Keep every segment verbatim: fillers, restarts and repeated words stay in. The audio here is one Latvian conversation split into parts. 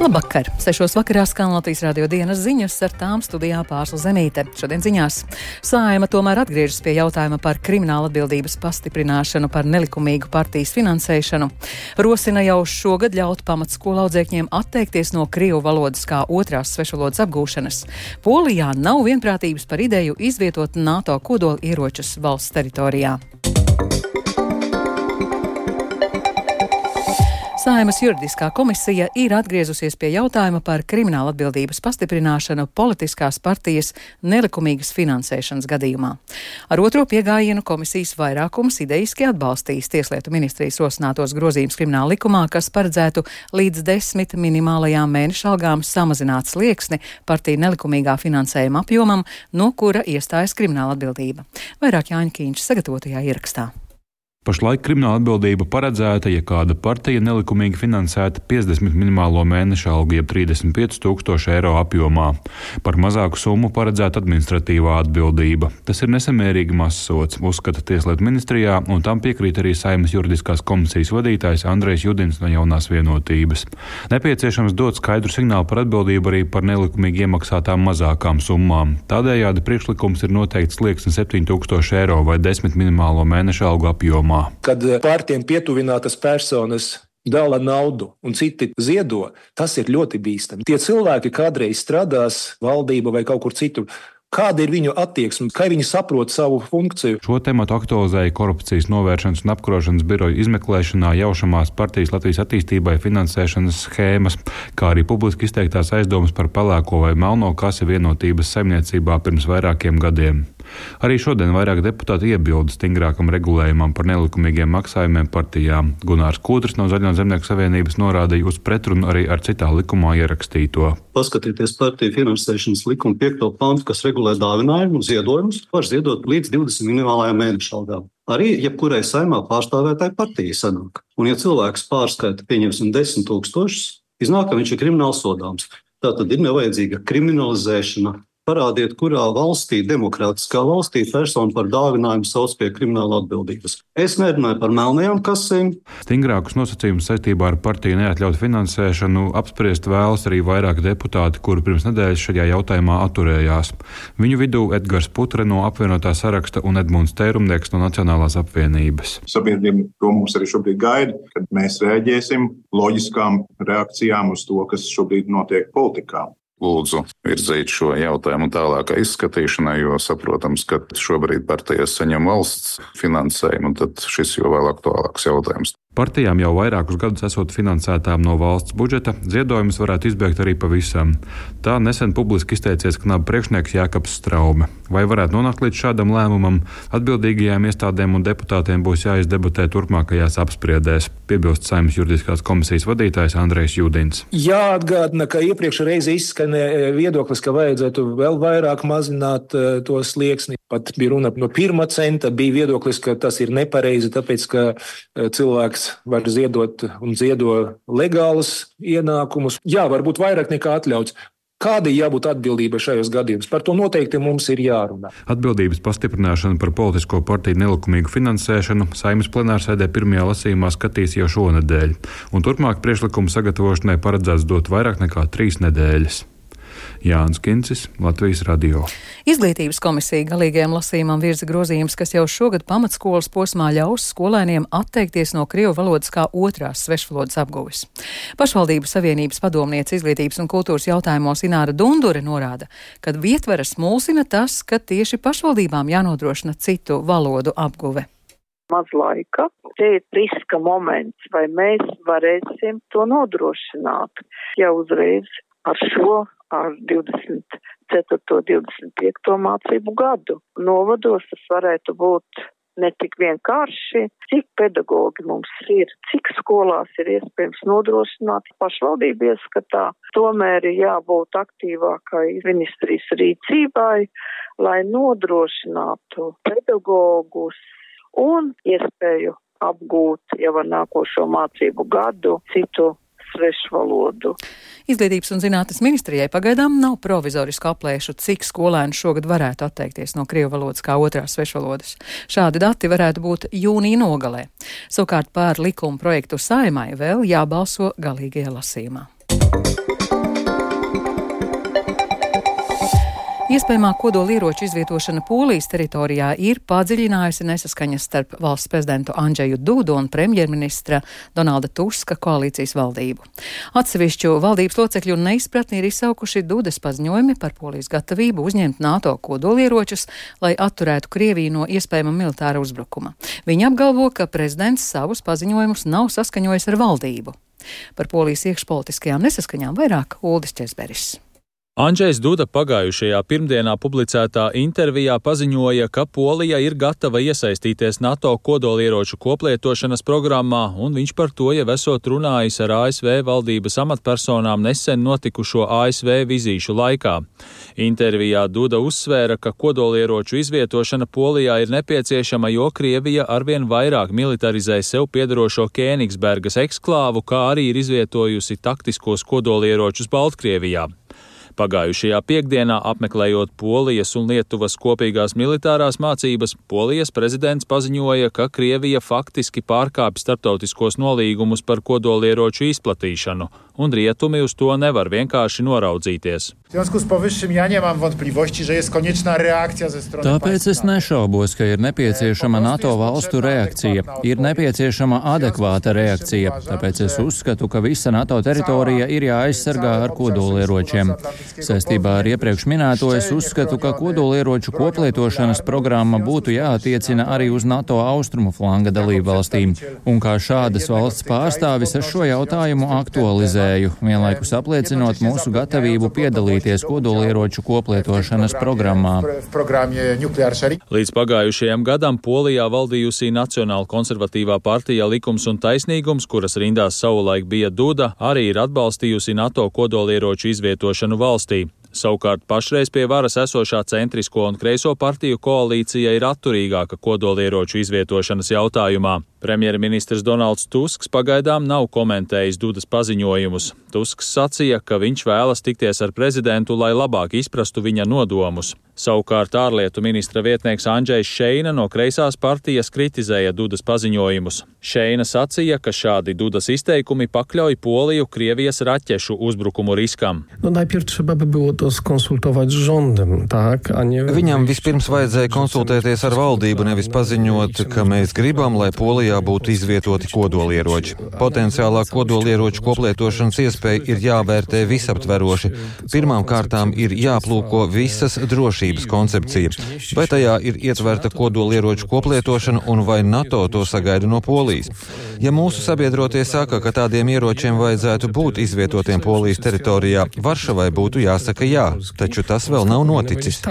Labvakar! Sešos vakarā skan Latvijas radio dienas ziņas, ar tām studijā Pārsla Zemīte. Šodien ziņās Saeima tomēr atgriežas pie jautājuma par krimināla atbildības pastiprināšanu par nelikumīgu partijas finansēšanu. Rosina jau šogad ļaut pamatskolu audzēkņiem atteikties no krievu valodas kā otrās svešvalodas apgūšanas. Polijā nav vienprātības par ideju izvietot NATO kodola ieročus valsts teritorijā. Saeimas juridiskā komisija ir atgriezusies pie jautājuma par krimināla atbildības pastiprināšanu politiskās partijas nelikumīgas finansēšanas gadījumā. Ar otro piegājienu komisijas vairākums idejiski atbalstīs Tieslietu ministrijas rosinātos grozījumus krimināla likumā, kas paredzētu līdz desmit minimālajām mēneša algām samazināt slieksni partiju nelikumīgā finansējuma apjomam, no kura iestājas krimināla atbildība. Vairāk Jāņa Kīņš sagatavotajā ierakstā. Pašlaik krimināla atbildība paredzēta, ja kāda partija nelikumīgi finansēta piecdesmit minimālo mēneša algu, jeb trīsdesmit pieci tūkstoši eiro apjomā. Par mazāku summu paredzēta administratīvā atbildība. Tas ir nesamērīgi mazs sods, uzskata Tieslietu ministrijā, un tam piekrīt arī Saeimas juridiskās komisijas vadītājs Andrejs Judins no Jaunās vienotības. Nepieciešams dot skaidru signālu par atbildību arī par nelikumīgi iemaksātām mazākām summām. Tādējādi priekšlikums ir noteikts slieksni septiņi tūkstoši eiro vai desmit minimālo mēneša algu apjomā. Kad partijām pietuvinātas personas dala naudu un citi ziedo, tas ir ļoti bīstami. Tie cilvēki kādreiz strādās valdība vai kaut kur citur. Kāda ir viņu attieksme, kā viņi saprot savu funkciju? Šo tematu aktualizēja Korupcijas novēršanas un apkarošanas biroja izmeklēšanā jaušamās partijas Latvijas attīstībai finansēšanas schēmas, kā arī publiski izteiktās aizdomas par pelēko vai melno kasi vienotības saimniecībā pirms vairākiem gadiem. Arī šodien vairāk deputāti iebilda stingrākam regulējumam par nelikumīgiem maksājumiem partijām. Gunārs Kūtris no Zaļo zemnieku savienības norādīja uz pretrunu arī ar citā likumā ierakstīto. Paskatieties partiju finansēšanas likuma piekto pantu, kas regulē dāvinājumu un ziedojumus, var ziedot līdz divdesmit minimālajām mēneša algām. Arī jebkurai saimā pārstāvētāji partija sanāk. Un ja cilvēks pārskaita, pieņemsim desmit tūkstošus, iznāk, ka viņš ir krimināli sodāms. Tātad ir nevajadzīga kriminalizēšana. Parādiet, kurā valstī, demokrātiskā valstī, persona par dāvinājumu sauc pie krimināla atbildības. Es nerunāju par melnajām kasēm. Stingrākus nosacījumus saistībā ar partiju neatļautu finansēšanu apspriest vēlas arī vairāki deputāti, kuri pirms nedēļas šajā jautājumā atturējās. Viņu vidū Edgars Putre no apvienotā saraksta un Edmunds Tērumnieks no Nacionālās apvienības. Sabiedrība to mums arī šobrīd gaida, kad mēs rēģēsim loģiskām reakcijām uz to, kas šobrīd notiek politikā. Lūdzu virzīt šo jautājumu tālākai izskatīšanai, jo saprotams, ka šobrīd partijas saņem valsts finansējumu, un tad šis jau vēl aktuālāks jautājums. Partijām jau vairākus gadus esot finansētām no valsts budžeta, ziedojumus varētu izbēgt arī pavisam. Tā nesen publiski izteicies knaba priekšnieks Jākaps Straume. Vai varētu nonākt līdz šādam lēmumam? Atbildīgajām iestādēm un deputātiem būs jāizdebatē turpmākajās apspriedēs, piebilst Saeimas juridiskās komisijas vadītājs Andrejs Judins. Jāatgādina, ka iepriekš reizi izskanēja viedoklis, ka vajadzētu vēl vairāk mazināt uh, to slieksni. Pat bija runa no pirmā centa, bija viedoklis, ka tas ir nepareizi, tāpēc, ka uh, cilvēks var ziedot un ziedo legālus ienākumus. Jā, varbūt vairāk nekā atļauts. Kāda ir jābūt atbildība šajos gadījumos? Par to noteikti mums ir jārunā. Atbildības pastiprināšana par politisko partiju nelikumīgu finansēšanu Saeimas plenārsēdē pirmajā lasījumā skatīs jau šonedēļ, un turpmāk priekšlikumu sagatavošanai paredzēts dot vairāk nekā trīs nedēļas. Jānis Kincis, Latvijas radio. Izglītības komisija galīgajam lasījumam virza grozījums, kas jau šogad pamatskolas posmā ļaus skolēniem atteikties no krievu valodas kā otrās svešvalodas apguves. Pašvaldību savienības padomniece izglītības un kultūras jautājumos Ināra Dundure norāda, ka vietveras mulsina tas, ka tieši pašvaldībām jānodrošina citu valodu apguve. Maz laika. Te ir riska moments, vai mēs varēsim to nodrošināt. Ja uzreiz ar šo, ar divdesmit ceturto, divdesmit piekto mācību gadu. Novados tas varētu būt ne tik vienkārši, cik pedagogi mums ir, cik skolās ir iespējams nodrošināt. Pašvaldība ieskatā, tomēr ir jābūt aktīvākai ministrijas rīcībai, lai nodrošinātu pedagogus un iespēju apgūt jau ar nākošo mācību gadu citu svešvalodu. Izglītības un zinātnes ministrijai pagaidām nav provizorisku aplēšu, cik skolēni šogad varētu atteikties no krievu valodas kā otrās svešvalodas. Šādi dati varētu būt jūnija nogalē. Savukārt par likuma projektu Saeimai vēl jābalso galīgajā lasījumā. Iespējamā kodolieroču izvietošana Polijas teritorijā ir padziļinājusi nesaskaņas starp valsts prezidentu Andžeju Dudu un premjerministra Donalda Tuska koalīcijas valdību. Atsevišķu valdības locekļu neizpratni ir izsaukuši Dudas paziņojumi par Polijas gatavību uzņemt NATO kodolieročus, lai atturētu Krieviju no iespējama militāra uzbrukuma. Viņi apgalvo, ka prezidents savus paziņojumus nav saskaņojis ar valdību. Par Polijas iekšpolitiskajām nesaskaņām vairāk Uldis Česberis. Andžejs Duda pagājušajā pirmdienā publicētā intervijā paziņoja, ka Polija ir gatava iesaistīties NATO kodolieroču koplietošanas programmā, un viņš par to jau esot runājis ar A S V valdības amatpersonām nesen notikušo A S V vizīšu laikā. Intervijā Duda uzsvēra, ka kodolieroču izvietošana Polijā ir nepieciešama, jo Krievija arvien vairāk militarizē sev piedarošo Kēnigsbergas eksklāvu, kā arī ir izvietojusi taktiskos kodolieročus Baltkrievijā. Pagājušajā piekdienā, apmeklējot Polijas un Lietuvas kopīgās militārās mācības, Polijas prezidents paziņoja, ka Krievija faktiski pārkāpj starptautiskos nolīgumus par kodolieroču izplatīšanu, un rietumi uz to nevar vienkārši noraudzīties. Tāpēc es nešaubos, ka ir nepieciešama NATO valstu reakcija, ir nepieciešama adekvāta reakcija, tāpēc es uzskatu, ka visa NATO teritorija ir jāaizsargā ar kodolieročiem. Saistībā ar iepriekš minēto es uzskatu, ka kodolieroču koplietošanas programma būtu jāattiecina arī uz NATO austrumu flanga dalību valstīm, un kā šādas valsts pārstāvis es šo jautājumu aktualizēju, vienlaikus apliecinot mūsu gatavību piedalīties kodolieroču koplietošanas programmā. Līdz pagājušajam gadam Polijā valdījusī Nacionāla konservatīvā partija Likums un taisnīgums, kuras rindās savulaik bija Duda, arī ir atbalstījusi NATO kodolieroču izvietošanu valstī. Savukārt pašreiz pie varas esošā centrisko un kreiso partiju koalīcija ir atturīgāka kodolieroču izvietošanas jautājumā. Premjerministrs Donalds Tusks pagaidām nav komentējis Dudas paziņojumus. Tusks sacīja, ka viņš vēlas tikties ar prezidentu, lai labāk izprastu viņa nodomus. Savukārt ārlietu ministra vietnieks Andžejs Šeina no kreisās partijas kritizēja Dudas paziņojumus. Šeina sacīja, ka šādi Dudas izteikumi pakļauj Poliju Krievijas raķešu uzbrukumu riskam. No, Viņam vispirms vajadzēja konsultēties ar valdību, nevis paziņot, ka mēs gribam, lai Polijā būtu izvietoti kodolieroči. Potenciālā kodolieroču koplietošanas iespēja ir jāvērtē visaptveroši. Pirmām kārtām ir jāplūko visas drošības koncepcija. Vai tajā ir ietverta kodolieroču koplietošana un vai NATO to sagaida no Polijas? Ja mūsu sabiedrotie saka, ka tādiem ieročiem vajadzētu būt izvietotiem Polijas teritorijā, Varšavai būtu jāsaka jā, taču tas vēl nav noticis.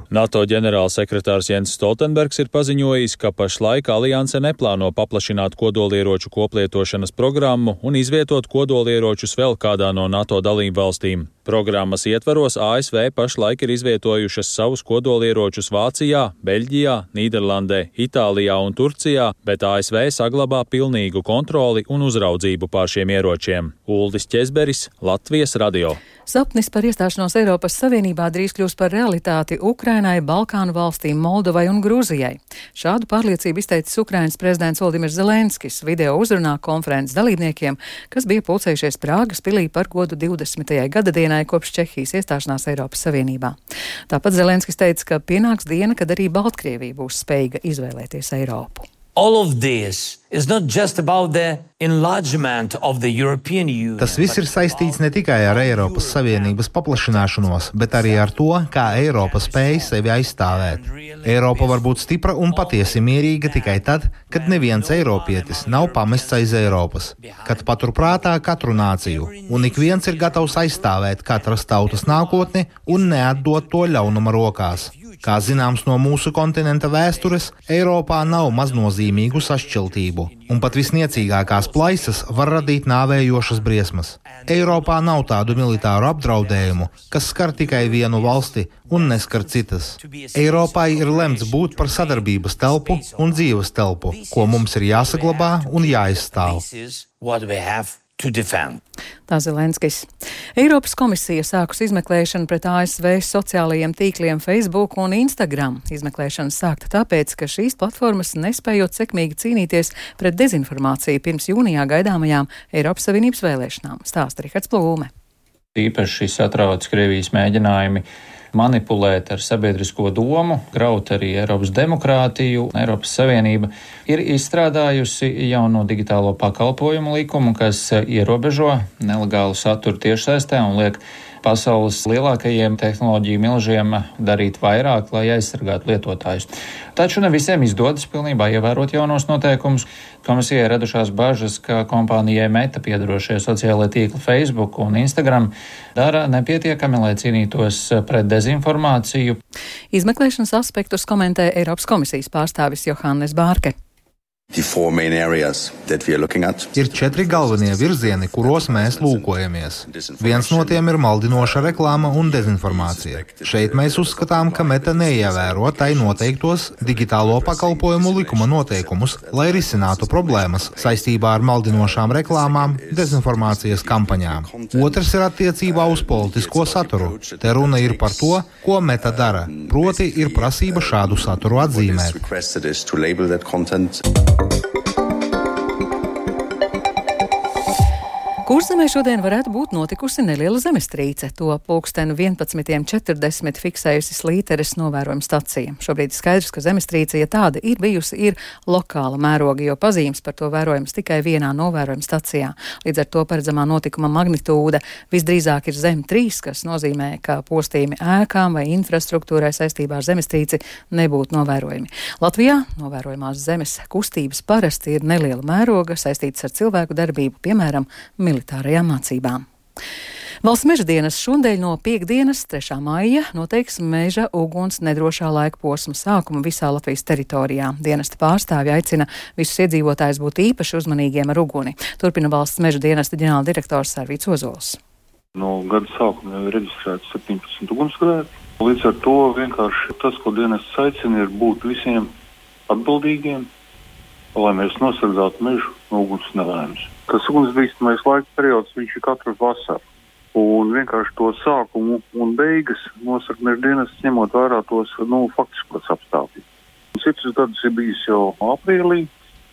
NATO ģenerālsekretārs Jens Stoltenbergs ir paziņojis, ka pašlaik alianse neplāno paplašināt kodolieroču koplietošanas programmu un izvietot kodolieročus vēl kādā no NATO dalību valstīm. Programmas ietvaros A S V pašlaik ir izvietojušas savus kodolieročus Vācijā, Beļģijā, Nīderlandē, Itālijā un Turcijā, bet A S V saglabā pilnīgu kontroli un uzraudzību pār šiem ieročiem. Uldis Česberis, Latvijas radio. Sapnis par iestāšanos Eiropas Savienībā drīz kļūs par realitāti Ukrainai, Balkānu valstīm, Moldovai un Grūzijai. Šādu pārliecību izteicis Ukrainas prezidents Voldimirs Zelenskis video uzrunā konferences dalībniekiem, kas bija pulcējušies Prāgas pilī par godu divdesmitajai gadadienai kopš Čehijas iestāšanās Eiropas Savienībā. Tāpat Zelenskis teica, ka pienāks diena, kad arī Baltkrievija būs spējīga izvēlēties Eiropu. All of this is not just about the enlargement of the European Union. Tas viss ir saistīts ne tikai ar Eiropas Savienības paplašināšanos, bet arī ar to, kā Eiropa spēj sevi aizstāvēt. Eiropa var būt stipra un patiesi mierīga tikai tad, kad neviens eiropietis nav pamests aiz Eiropas, kad paturprātā katru nāciju, un ik viens ir gatavs aizstāvēt katras tautas nākotni un neatdot to ļaunuma rokās. Kā zināms no mūsu kontinenta vēstures, Eiropā nav maznozīmīgu sašķeltību, un pat visniecīgākās plaisas var radīt nāvējošas briesmas. Eiropā nav tādu militāru apdraudējumu, kas skar tikai vienu valsti un neskar citas. Eiropai ir lemts būt par sadarbības telpu un dzīves telpu, ko mums ir jāsaglabā un jāizstāv. Tā Zelenskis. Eiropas komisija sākus izmeklēšanu pret A S V sociālajiem tīkliem Facebook un Instagram. Izmeklēšana sākta tāpēc, ka šīs platformas nespējot sekmīgi cīnīties pret dezinformāciju pirms jūnijā gaidāmajām Eiropas Savienības vēlēšanām. Stāsta Rihards Plūme. Īpaši satrauc Krievijas mēģinājumi manipulēt ar sabiedrisko domu, graut arī Eiropas demokrātiju. Eiropas Savienība ir izstrādājusi jauno digitālo pakalpojumu likumu, kas ierobežo nelegālu saturu tiešsaistē un liek pasaules lielākajiem tehnoloģiju milžiem darīt vairāk, lai aizsargātu lietotājus. Taču ne visiem izdodas pilnībā ievērot jaunos noteikumus. Komisijai radušās bažas, ka kompānijai Meta piedarošie sociālai tīkli Facebook un Instagram dara nepietiekami, lai cīnītos pret dezinformāciju. Izmeklēšanas aspektus komentē Eiropas komisijas pārstāvis Johannes Bārke. Ir četri galvenie virzieni, kuros mēs lūkojamies. Viens no tiem ir maldinoša reklāma un dezinformācija. Šeit mēs uzskatām, ka Meta neievēro tai noteiktos digitālo pakalpojumu likuma noteikumus, lai risinātu problēmas saistībā ar maldinošām reklāmām, dezinformācijas kampaņām. Otrs ir attiecībā uz politisko saturu. Te runa ir par to, ko Meta dara, proti ir prasība šādu saturu atzīmēt. Kurzemē šodien varētu būt notikusi neliela zemestrīce. To pulksteni vienpadsmit četrdesmit fiksējusi Slīteres novērojuma stacija. Šobrīd skaidrs, ka zemestrīce, ja tāda ir bijusi, ir lokāla mēroga, jo pazīmes par to vērojams tikai vienā novērojuma stacijā. Līdz ar to paredzamā notikuma magnitūda visdrīzāk ir zem trīs, kas nozīmē, ka postījumi ēkām vai infrastruktūrai saistībā ar zemestrīci nebūtu novērojami. Latvijā novērojamās zemes kustības parasti ir neliela mēroga, saistītas ar cilvēku darbību, piemēram, militārajām mācībām. Valsts meža dienas šodien no piekdienas, trešā maija, noteiks meža uguns nedrošā laika posma sākumu visā Latvijas teritorijā. Dienesta pārstāvji aicina visus iedzīvotājus būt īpaši uzmanīgiem ar uguni. Turpina valsts meža dienesta ģenerāla direktors Arvīts Ozols. No gada sākuma jau ir reģistrēts septiņpadsmit ugunsgrēki. Līdz ar to vienkārši tas, ko dienests aicina, ir būt visiem atbildīgiem, lai mēs nosargātu mežu no uguns nelēmas. Tas ugunsbīstamais laika periods, viņš ir katru vasaru. Un vienkārši to sākumu un beigas nosaka meža dienests, ņemot vērā tos, nu, faktiskos apstākļus. Citus gadus ir bijis jau aprīlī,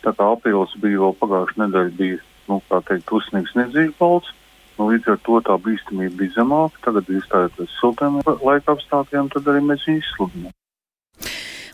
tā kā aprīlis bija vēl pagājušā nedēļa bija, nu, kā teikt, uzsniegs nedzīvi balts. Nu, līdz ar to tā bīstamība bija zemāka, tagad iestājoties siltiem laika apstākļiem, tad arī mēs viņu izsludinām.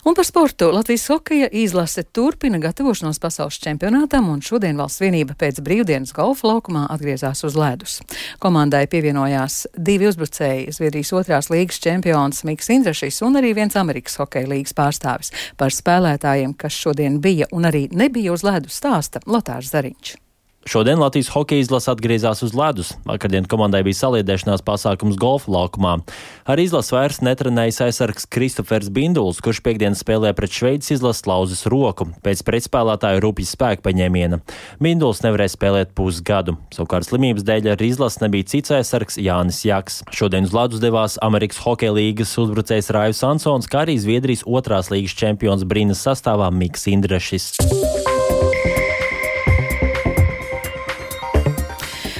Un par sportu Latvijas hokeja izlase turpina gatavošanos pasaules čempionātam, un šodien valsts vienība pēc brīvdienas golfa laukumā atgriezās uz ledus. Komandai pievienojās divi uzbrucēji, Zviedrijas otrās līgas čempions Miks Indrašis un arī viens Amerikas hokeja līgas pārstāvis. Par spēlētājiem, kas šodien bija un arī nebija uz ledus, stāsta Lotārs Zariņš. Šodien Latvijas hokeja izlase atgriezās uz ledus. Vakardien komandai bija saliedēšanās pasākums golfa laukumā. Ar izlasi vairs netrenējas aizsargs Kristofers Binduls, kurš piekdien spēlē pret Šveices izlases lauzes roku pēc pretspēlētāju rupjas spēka paņēmiena. Binduls nevarēja spēlēt pusgadu. Savukārt slimības dēļ ar izlasi nebija cits aizsargs Jānis Jaks. Šodien uz ledus devās Amerikas hokeja līgas uzbrucējs Raivs Ansons, kā arī Zviedrijas otrās līgas čempions Brinas sastāvā Miks Indrašis.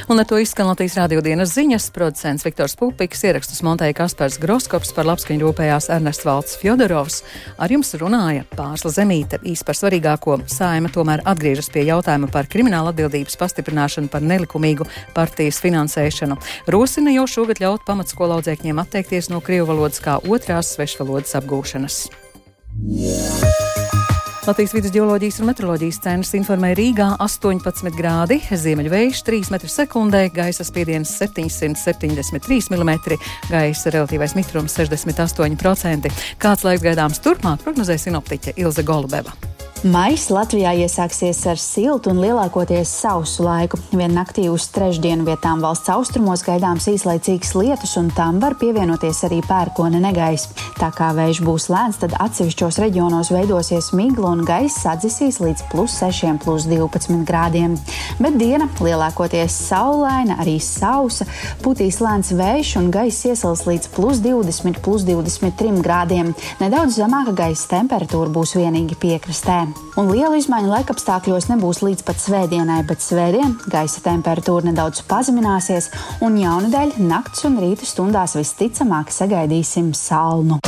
Un ar to izskan Latvijas radio dienas ziņas. Producents Viktors Pupiks, ierakstus montēja Kaspars Groskops, par labskaņu rūpējās Ernests Valds Fjodorovs. Ar jums runāja Pārsla Zemīte. Īsti par svarīgāko Saeima tomēr atgriežas pie jautājuma par krimināla atbildības pastiprināšanu par nelikumīgu partijas finansēšanu. Rosina jau šogad ļaut pamatskolu audzēkņiem atteikties no krievu valodas kā otrās svešvalodas apgūšanas. Latvijas vidus ģeoloģijas un meteoroloģijas centrs informē Rīgā astoņpadsmit grādi, ziemeļvējš trīs metri sekundē, gaisa spiediens septiņsimt septiņdesmit trīs milimetri, gaisa relatīvais mitrums sešdesmit astoņi procenti. Kāds laiks gaidāms turpmāk, prognozē sinoptiķe Ilze Golubeva. Maijs Latvijā iesāksies ar siltu un lielākoties sausu laiku. Vien naktī uz trešdienu vietām valsts austrumos gaidāms īslaicīgs lietus, un tam var pievienoties arī pērkona negaiss. Tā kā vējš būs lēns, tad atsevišķos reģionos veidosies migla un gaiss atdzisīs līdz plus sešiem, plus divpadsmit grādiem. Bet diena lielākoties saulaina, arī sausa, putīs lēns vējš un gaiss iesals līdz plus divdesmit, plus divdesmit trim grādiem. Nedaudz zemāka gaisa temperatūra būs vienīgi piekrastē. Un lielu izmaiņu laikapstākļos nebūs līdz pat svētdienai, bet svētdien gaisa temperatūra nedaudz pazemināsies, un jaunadēļ nakts un rīta stundās visticamāk sagaidīsim salnu.